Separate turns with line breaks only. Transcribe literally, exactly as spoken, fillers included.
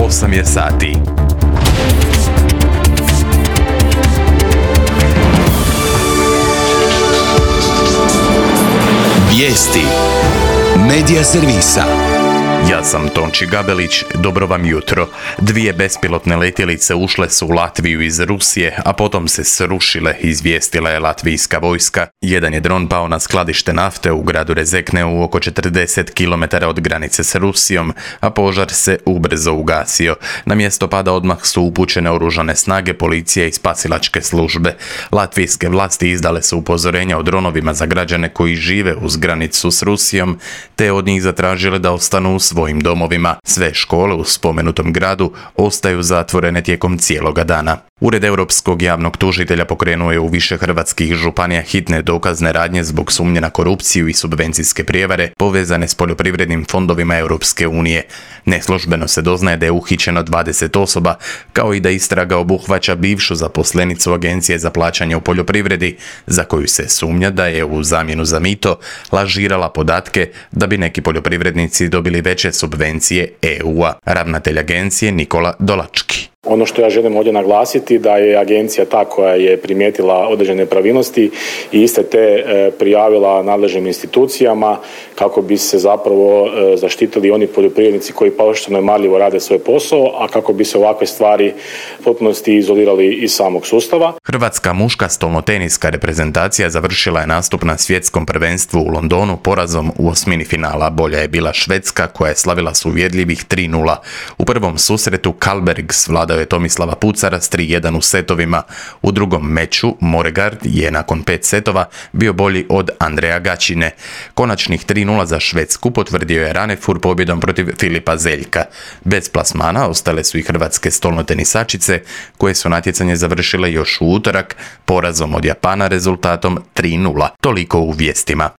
osam je sati.
Vijesti Medija servisa.
Ja sam Tonči Gabelić, dobro vam jutro. Dvije bespilotne letjelice ušle su u Latviju iz Rusije, a potom se srušile, izvijestila je latvijska vojska. Jedan je dron pao na skladište nafte u gradu Rezekneu oko četrdeset kilometara od granice s Rusijom, a požar se ubrzo ugasio. Na mjesto pada odmah su upućene oružane snage, policije i spasilačke službe. Latvijske vlasti izdale su upozorenja o dronovima za građane koji žive uz granicu s Rusijom, te od njih zatražile da ostanu u svojim domovima. Sve škole u spomenutom gradu ostaju zatvorene tijekom cijeloga dana. Ured Europskog javnog tužitelja pokrenuo je u više hrvatskih županija hitne dokazne radnje zbog sumnje na korupciju i subvencijske prijevare povezane s poljoprivrednim fondovima Europske unije. Neslužbeno se doznaje da je uhićeno dvadeset osoba, kao i da istraga obuhvaća bivšu zaposlenicu Agencije za plaćanje u poljoprivredi, za koju se sumnja da je u zamjenu za mito lažirala podatke da bi neki poljoprivrednici dobili veće subvencije E U-a. Ravnatelj agencije Nikola Dolački.
Ono što ja želim ovdje naglasiti da je agencija ta koja je primijetila određene nepravilnosti i iste te e, prijavila nadležnim institucijama kako bi se zapravo e, zaštitili oni poljoprivrednici koji pošteno i marljivo rade svoj posao, a kako bi se ovakve stvari u potpunosti izolirali iz samog sustava.
Hrvatska muška stolnoteniska reprezentacija završila je nastup na svjetskom prvenstvu u Londonu porazom u osmini finala. Bolja je bila Švedska koja je slavila s uvjerljivih tri nula. U prvom susretu Karlbergs vladao je Tomislava Pucara s tri jedan u setovima. U drugom meču Moregard je nakon pet setova bio bolji od Andreja Gaćine. Konačnih tri nula za Švedsku potvrdio je Ranefur pobjedom protiv Filipa Zeljka. Bez plasmana ostale su i hrvatske stolnotenisačice koje su natjecanje završile još u utorak porazom od Japana rezultatom tri nula. Toliko u vijestima.